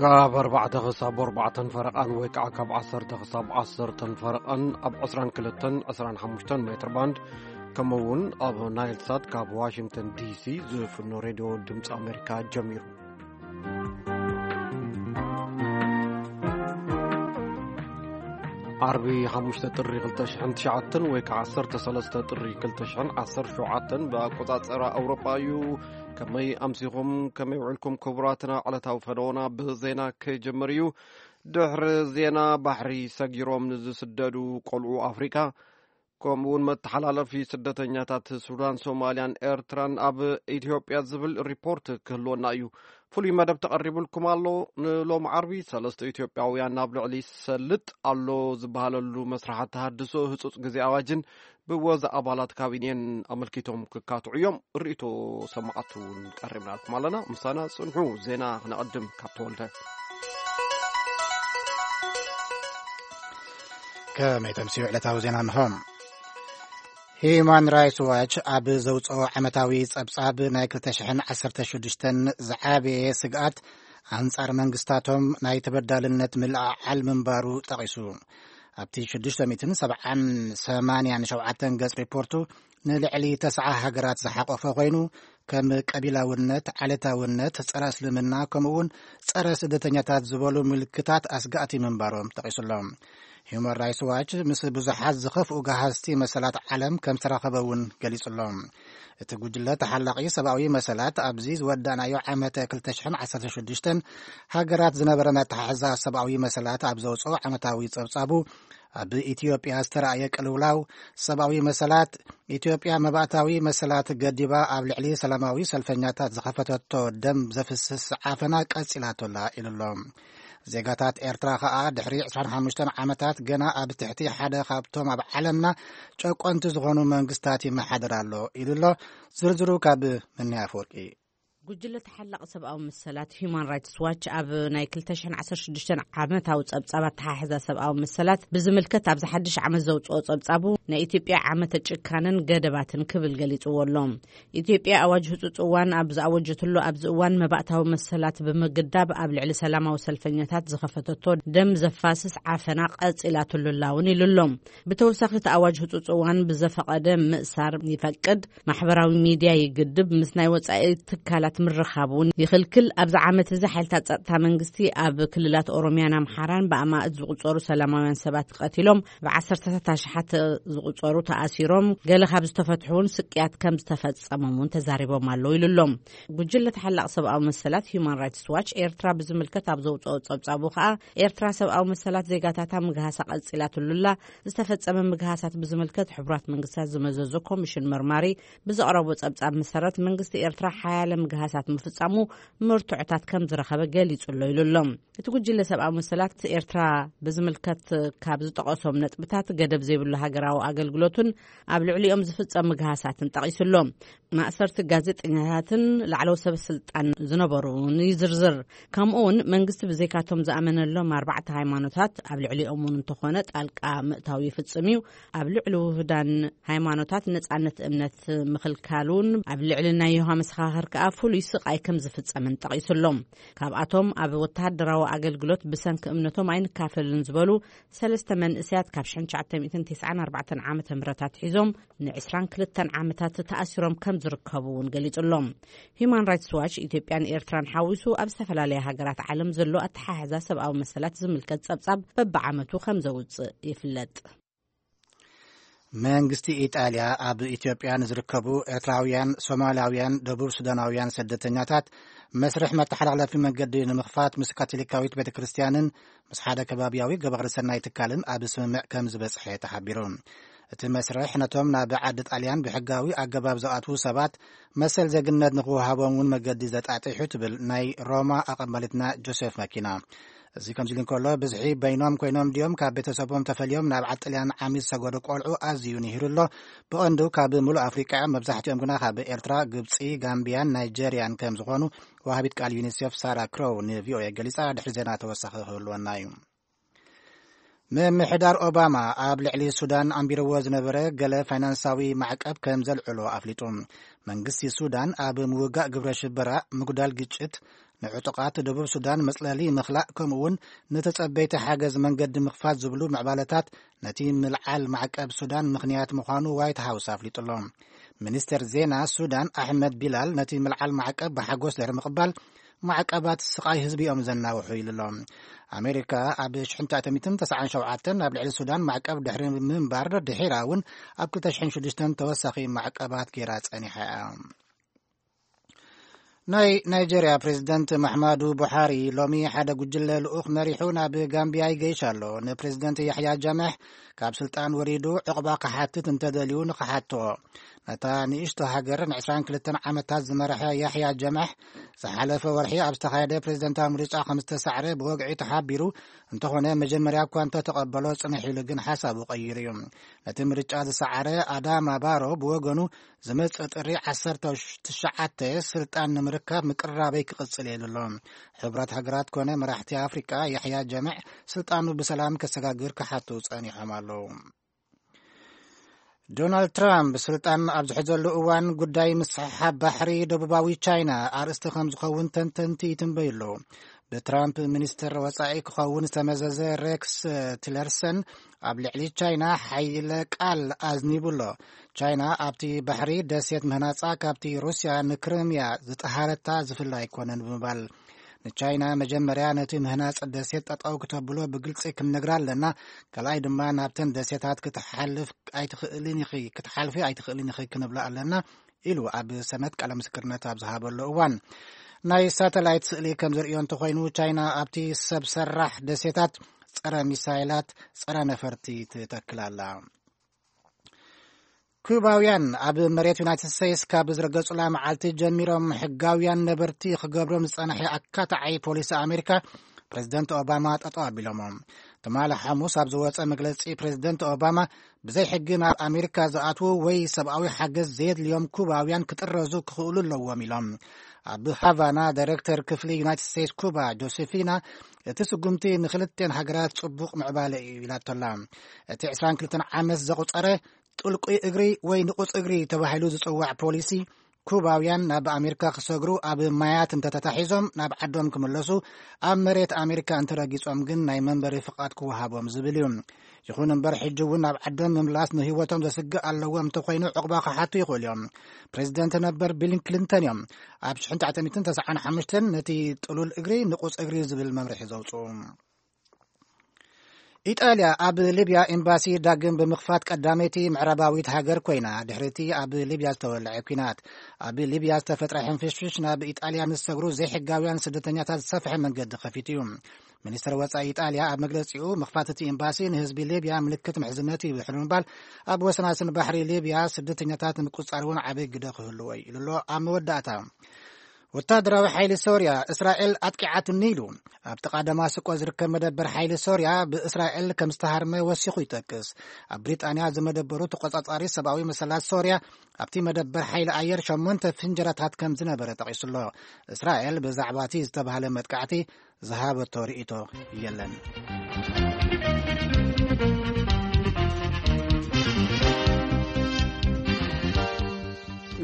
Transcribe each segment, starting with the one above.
ካብ ኣርባዕተ ክሳብ ኣርባዕተን ፈረቓን ወይ ከዓ ካብ ዓሰርተ ክሳብ ዓሰርተን ፈረቓን ኣብ ዕስራን ክልተን ዕስራን ሓሙሽተን ሜትር ባንድ፣ ከምኡ እውን ኣብ ናይል ሳት ካብ ዋሽንግተን ዲ ሲ ዝፍኖ ሬድዮ ድምፂ ኣሜሪካ ጀሚሩ። ዓርቢ ሓሙሽተ ጥሪ ክልተ ሽሕን ትሽዓተን ወይ ከዓ ዓሰርተ ሰለስተ ጥሪ ክልተ ሽሕን ዓሰርተ ሸውዓተን ብኣቆፃፅራ ኣውሮጳ እዩ። ከመይ ኣምሲኹም፣ ከመይ ውዕልኩም ክቡራትና? ዕለታዊ ፈነወና ብዜና ክጅምር እዩ። ድሕሪ ዜና፣ ባሕሪ ሰጊሮም ንዝስደዱ ቆልዑ ኣፍሪካ፣ ከምኡ እውን መተሓላለፊ ስደተኛታት ሱዳን፣ ሶማልያን ኤርትራን ኣብ ኢትዮጵያ ዝብል ሪፖርት ክህልወና እዩ። ፍሉይ መደብ ተቐሪቡልኩም ኣሎ። ንሎም ዓርቢ፣ ሰለስተ ኢትዮጵያውያን ናብ ልዕሊ ሰልጥ ኣሎ ዝበሃለሉ መስራሓት ተሃድሶ ህጹጽ ግዜ ኣዋጅን ብወዛ ኣባላት ካቢኔን ኣመልኪቶም ክካትዑ እዮም። ርእይቶ ሰማዕቱ እውን ቀሪብናልኩም ኣለና። ምሳና ጽንሑ። ዜና ክነቐድም ካብ ተወልደ። ከመይ ተምስዩ ዕለታዊ ዜና እንሆ። ሂዩማን ራይትስ ዋች ኣብ ዘውፅኦ ዓመታዊ ጸብጻብ፣ ናይ ክልተ ሽሕን ዓሰርተ ሽዱሽተን ዝዓበየ ስግኣት ኣንጻር መንግስታቶም ናይ ተበዳልነት ምልዕዓል ምንባሩ ጠቒሱ። ኣብቲ ሽዱሽተ ሚእትን ሰብዓን ሰማንያን ሸውዓተን ገጽ ሪፖርቱ፣ ንልዕሊ ተስዓ ሃገራት ዝሓቆፈ ኮይኑ፣ ከም ቀቢላውነት፣ ዓሌታውነት፣ ጸረ እስልምና፣ ከምኡ እውን ጸረ ስደተኛታት ዝበሉ ምልክታት ኣስጋእቲ ምንባሮም ጠቒሱሎም። ሂዩማን ራይትስ ዋች ምስ ብዙሓት ዝኸፍኡ ገሃዝቲ መሰላት ዓለም ከም ዝተራኸበ እውን ገሊጹሎም። እቲ ጉጅለ ተሓላቒ ሰብኣዊ መሰላት ኣብዚ ዝወዳእናዮ ዓመተ ክልተ ሽሕን ዓሰርተ ሽዱሽተን ሃገራት ዝነበረ ኣተሓሕዛ ሰብኣዊ መሰላት ኣብ ዘውፅኦ ዓመታዊ ጸብጻቡ፣ ኣብ ኢትዮጵያ ዝተራእየ ቅልውላው ሰብኣዊ መሰላት፣ ኢትዮጵያ መባእታዊ መሰላት ገዲባ ኣብ ልዕሊ ሰላማዊ ሰልፈኛታት ዝኸፈተቶ ደም ዘፍስስ ዓፈና ቀጺላቶላ ኢሉሎ። ዜጋታት ኤርትራ ከኣ ድሕሪ ዕስራን ሓሙሽተን ዓመታት ገና ኣብ ትሕቲ ሓደ ካብቶም ኣብ ዓለምና ጨቆንቲ ዝኾኑ መንግስታት ይመሓደር ኣሎ ኢሉሎ። ዝርዝሩ ካብ መንያ ኣፈወርቂ። ጉጅለ ተሓላቒ ሰብኣዊ መሰላት ሂዩማን ራይትስ ዋች ኣብ ናይ ክልተ ሽሕን ዓሰርተ ሽዱሽተን ዓመታዊ ጸብጻብ ኣተሓሕዛ ሰብኣዊ መሰላት ብዝምልከት፣ ኣብዚ ሓድሽ ዓመት ዘውጽኦ ጸብጻቡ፣ ናይ ኢትዮጵያ ዓመተ ጭካነን ገደባትን ክብል ገሊጽዎ ኣሎ። ኢትዮጵያ ኣዋጅ ህጹጽ እዋን ኣብ ዝኣወጀትሉ ኣብዚ እዋን፣ መባእታዊ መሰላት ብምግዳብ ኣብ ልዕሊ ሰላማዊ ሰልፈኛታት ዝኸፈተቶ ደም ዘፋስስ ዓፈና ቀጺላትሉ ኣላ እውን ኢሉ ኣሎ። ብተወሳኺ፣ እቲ ኣዋጅ ህጹጽ እዋን ብዘፈቐደ ምእሳር ይፈቅድ፣ ማሕበራዊ ሚድያ ይግድብ፣ ምስ ናይ ወጻኢ ትካላት ምርኻብ እውን ይኽልክል። ኣብዚ ዓመት እዚ፣ ሓይልታት ጸጥታ መንግስቲ ኣብ ክልላት ኦሮሚያን ኣምሓራን ብኣማእት ዝቑጸሩ ሰላማውያን ሰባት ቀቲሎም፣ ብዓሰርተታት ኣሽሓት ዝቑጸሩ ተኣሲሮም፣ ገለ ካብ ዝተፈትሑ እውን ስቅያት ከም ዝተፈጸሞም እውን ተዛሪቦም ኣለዉ ኢሉ ኣሎ። ጉጅለ ተሓላቒ ሰብኣዊ መሰላት ሂዩማን ራይትስ ዋች፣ ኤርትራ ብዝምልከት ኣብ ዘውጽኦ ጸብጻቡ ከኣ፣ ኤርትራ ሰብኣዊ መሰላት ዜጋታታ ምግሃሳ ቀጺላትሉ ኣላ። ዝተፈጸመ ምግሃሳት ብዝምልከት፣ ሕቡራት መንግስታት ዝመዘዞ ኮሚሽን መርማሪ ብዘቕረቦ ጸብጻብ መሰረት፣ መንግስቲ ኤርትራ ሓያለ ምግሃሳት ምፍጻሙ መርትዖታት ከም ዝረኸበ ገሊጹ ኣሎ ኢሉ ኣሎ። እቲ ጉጅለ ሰብኣዊ መሰላት ኤርትራ ብዝምልከት ካብ ዝጠቐሶም ነጥብታት፣ ገደብ ዘይብሉ ሃገራዊ ኣገልግሎትን ኣብ ልዕሊኦም ዝፍጸም ምግሃሳትን ጠቒሱ ኣሎ። ማእሰርቲ ጋዜጠኛታትን ላዕለዎት ሰበ ስልጣን ዝነበሩ እውን ይዝርዝር። ከምኡ እውን፣ መንግስቲ ብዘይካቶም ዝኣመነሎም ኣርባዕተ ሃይማኖታት ኣብ ልዕሊኦም እውን እንተኾነ ጣልቃ ምእታው ይፍጽም እዩ። ኣብ ልዕሊ ውህዳን ሃይማኖታት ነጻነት እምነት ምኽልካል እውን፣ ኣብ ልዕሊ ናይ የሆዋ መሰኻኽር ከኣ ፍሉይ ስቓይ ከም ዝፍጸምን ጠቒሱ ኣሎ። ካብኣቶም፣ ኣብ ወተሃደራዊ ኣገልግሎት ብሰንኪ እምነቶም ኣይንካፈልን ዝበሉ ሰለስተ መንእሰያት፣ ካብ ሽሕን ትሽዓተ ሚእትን ተስዓን ኣርባዕተን ዓመተ ምህረት ኣትሒዞም ንዕስራን ክልተን ዓመታት ተኣሲሮም ከም ዝርከቡ እውን ገሊጹ ኣሎ። ሂዩማን ራይትስ ዋች፣ ኢትዮጵያን ኤርትራን ሓዊሱ ኣብ ዝተፈላለያ ሃገራት ዓለም ዘሎ ኣተሓሕዛ ሰብኣዊ መሰላት ዝምልከት ጸብጻብ በብዓመቱ ከም ዘውጽእ ይፍለጥ። መንግስቲ ኢጣልያ ኣብ ኢትዮጵያ ንዝርከቡ ኤርትራውያን፣ ሶማላውያን፣ ደቡብ ሱዳናውያን ስደተኛታት መስርሕ መተሓላለፊ መንገዲ ንምኽፋት ምስ ካቶሊካዊት ቤተ ክርስቲያንን ምስ ሓደ ከባቢያዊ ገባሪ ሰናይ ትካልን ኣብ ስምምዕ ከም ዝበጽሐ ተሓቢሩ። እቲ መስርሕ ነቶም ናብ ዓዲ ጣልያን ብሕጋዊ ኣገባብ ዝኣትዉ ሰባት መሰል ዜግነት ንኽወሃቦም እውን መገዲ ዘጣጢሑ ትብል ናይ ሮማ ኣቐባሊትና ጆሴፍ መኪና። እዚ ከምዚ ኢሉ እንከሎ፣ ብዝሒ በይኖም ኮይኖም ድዮም ካብ ቤተሰቦም ተፈልዮም ናብ ዓዲ ጣልያን ዓሚ ዝሰገዱ ቆልዑ ኣዝዩ ንሂሩ ኣሎ። ብቐንዱ ካብ ምሉእ ኣፍሪቃ እዮም። መብዛሕትኦም ግና ካብ ኤርትራ፣ ግብጺ፣ ጋምቢያን ናይጀርያን ከም ዝኾኑ ወሃቢት ቃል ዩኒሴፍ ሳራ ክሮው ንቪኦኤ ገሊጻ። ድሕሪ ዜና ተወሳኺ ክህልወና እዩ። ምምሕዳር ኦባማ ኣብ ልዕሊ ሱዳን ኣንቢርዎ ዝነበረ ገለ ፋይናንሳዊ ማዕቀብ ከም ዘልዕሎ ኣፍሊጡ። መንግስቲ ሱዳን ኣብ ምውጋእ ግብረ ሽበራ፣ ምጉዳል ግጭት፣ ንዕጡቓት ደቡብ ሱዳን መጽለሊ ምኽላእ፣ ከምኡ እውን ንተጸበይቲ ሓገዝ መንገዲ ምኽፋት ዝብሉ ምዕባለታት ነቲ ምልዓል ማዕቀብ ሱዳን ምኽንያት ምዃኑ ዋይት ሃውስ ኣፍሊጡ ኣሎ። ሚኒስተር ዜና ሱዳን ኣሕመድ ቢላል ነቲ ምልዓል ማዕቀብ ብሓጎስ ድሕሪ ምቕባል፣ ማዕቀባት ስቓይ ህዝቢ እዮም ዘናውሑ ኢሉ ኣሎ። ኣሜሪካ ኣብ ሽሕን ትሽዓተ ሚእትን ተስዓን ሸውዓተን ኣብ ልዕሊ ሱዳን ማዕቀብ ድሕሪ ምንባር፣ ድሒራ እውን ኣብ ክልተ ሽሕን ሽዱሽተን ተወሳኺ ማዕቀባት ገይራ ጸኒሓ እያ። ናይ ናይጄርያ ፕሬዚደንት ማሕማዱ ቡሓሪ ሎሚ ሓደ ጉጅለ ልኡኽ መሪሑ ናብ ጋምቢያ ይገይሽ ኣሎ። ንፕሬዚደንት ያሕያ ጃምሕ ካብ ስልጣን ወሪዱ ዕቕባ ክሓትት እንተደልዩ ንኽሓቶ፣ ነታ ንእሽቶ ሃገር ንዕስራን ክልተን ዓመታት ዝመርሐ ያሕያ ጀማሕ ዝሓለፈ ወርሒ ኣብ ዝተኻየደ ፕሬዝደንታዊ ምርጫ ከም ዝተሳዕረ ብወግዒ ተሓቢሩ። እንተኾነ መጀመርያ እኳ እንተተቐበሎ ጽንሕ ኢሉ ግን ሓሳቡ ቀይሩ እዩ። ነቲ ምርጫ ዝሰዓረ ኣዳማ ባሮ ብወገኑ ዝመጽእ ጥሪ ዓሰርተ ትሽዓተ ስልጣን ንምርካብ ምቅርራበይ ክቕጽል እየ ኢሉ ኣሎ። ሕቡራት ሃገራት ኮነ መራሕቲ ኣፍሪቃ ያሕያ ጀማሕ ስልጣኑ ብሰላም ከሰጋግር ክሓቱ ጸኒሖም ኣለዉ። ዶናልድ ትራምፕ ስልጣን ኣብ ዝሕዘሉ እዋን ጉዳይ ምስሕሓብ ባሕሪ ደቡባዊ ቻይና ኣርእስቲ ከም ዝኸውን ተንተንቲ ይትንበዩ ኣለዉ። ብትራምፕ ሚኒስትር ወጻኢ ክኸውን ዝተመዘዘ ሬክስ ቲለርሰን ኣብ ልዕሊ ቻይና ሓይለ ቃል ኣዝኒቡ ኣሎ። ቻይና ኣብቲ ባሕሪ ደሴት ምህናጻ ካብቲ ሩስያ ንክሪምያ ዝጠሃረታ ዝፍለ ኣይኮነን ብምባል፣ ንቻይና መጀመርያ ነቲ ምህናጽ ደሴት ጠጠው ክተብሎ ብግልጺ ክንነግራ ኣለና፣ ካልኣይ ድማ ናብተን ደሴታት ክትሓልፍ ኣይትኽእልን ኢኺ፣ ክትሓልፊ ኣይትኽእልን ኢኺ ክንብላ ኣለና ኢሉ ኣብ ሰነት ቃለ ምስክርነት ኣብ ዝሃበሉ እዋን። ናይ ሳተላይት ስእሊ ከም ዘርእዮ እንተኾይኑ፣ ቻይና ኣብቲ ሰብ ሰራሕ ደሴታት ጸረ ሚሳይላት፣ ጸረ ነፈርቲ ትተክል ኣላ። ኩባውያን ኣብ መሬት ዩናይትድ ስቴትስ ካብ ዝረገጹላ መዓልቲ ጀሚሮም ሕጋውያን ነበርቲ ክገብሮም ዝጸንሐ ኣካታዓይ ፖሊሲ ኣሜሪካ ፕሬዝደንት ኦባማ ጠጠው ኣቢሎሞ። ትማሊ ሓሙስ ኣብ ዝወጸ መግለጺ ፕሬዝደንት ኦባማ ብዘይ ሕጊ ናብ ኣሜሪካ ዝኣትዉ ወይ ሰብኣዊ ሓገዝ ዘየድልዮም ኩባውያን ክጥረዙ ክኽእሉ ኣለዎም ኢሎም። ኣብ ሃቫና ዳይሬክተር ክፍሊ ዩናይትድ ስቴትስ ኩባ ጆሴፊና እቲ ስጉምቲ ንክልቴን ሃገራት ጽቡቕ ምዕባለ እዩ ኢላቶላ። እቲ ዕስራን ክልተን ዓመት ዘቑጸረ ጥልቁይ እግሪ ወይ ንቑጽ እግሪ ተባሂሉ ዝጽዋዕ ፖሊሲ፣ ኩባውያን ናብ ኣሜሪካ ክሰግሩ ኣብ ማያት እንተተታሒዞም ናብ ዓዶም ክምለሱ፣ ኣብ መሬት ኣሜሪካ እንተረጊጾም ግን ናይ መንበሪ ፍቓድ ክወሃቦም ዝብል እዩ። ይኹን እምበር ሕጂ እውን ናብ ዓዶም ምምላስ ንህይወቶም ዘስግእ ኣለዎም እንተኾይኑ ዕቑባ ክሓቱ ይኽእሉ እዮም። ፕሬዚደንት ነበር ቢል ክሊንተን እዮም ኣብ ሽሕን ትሽዓተ ሚእትን ተስዓን ሓሙሽተን ነቲ ጥሉል እግሪ ንቑጽ እግሪ ዝብል መምርሒ ዘውፅኡ። ኢጣልያ ኣብ ሊብያ ኤምባሲ ዳግም ብምኽፋት ቀዳመይቲ ምዕራባዊት ሃገር ኮይና፣ ድሕሪቲ ኣብ ሊብያ ዝተወልዐ ኲናት። ኣብ ሊብያ ዝተፈጥረ ሕንፍሽፍሽ ናብ ኢጣልያ ንዝሰግሩ ዘይሕጋውያን ስደተኛታት ዝሰፍሐ መንገዲ ከፊቱ እዩ። ሚኒስትር ወጻኢ ኢጣልያ ኣብ መግለጺኡ፣ ምኽፋት እቲ ኤምባሲ ንህዝቢ ሊብያ ምልክት ምሕዝነት እዩ ድሕሪ ምባል፣ ኣብ ወሰናስን ባሕሪ ሊብያ ስደተኛታት ንምቁጽጻር እውን ዓቢ ግደ ክህልዎ እዩ ኢሉ ኣሎ። ኣብ መወዳእታ፣ ወታደራዊ ሓይሊ ሶርያ፣ እስራኤል ኣጥቂዓትኒ ኢሉ። ኣብ ጥቓ ደማስቆ ዝርከብ መደበር ሓይሊ ሶርያ ብእስራኤል ከም ዝተሃርመ ወሲኹ ይጠቅስ። ኣብ ብሪጣንያ ዝመደበሩ ተቆጻጻሪ ሰብኣዊ መሰላት ሶርያ ኣብቲ መደበር ሓይሊ ኣየር ሸሞንተ ፍንጀራታት ከም ዝነበረ ጠቒሱ ኣሎ። እስራኤል ብዛዕባ እቲ ዝተባህለ መጥቃዕቲ ዝሃበቶ ርእይቶ የለን።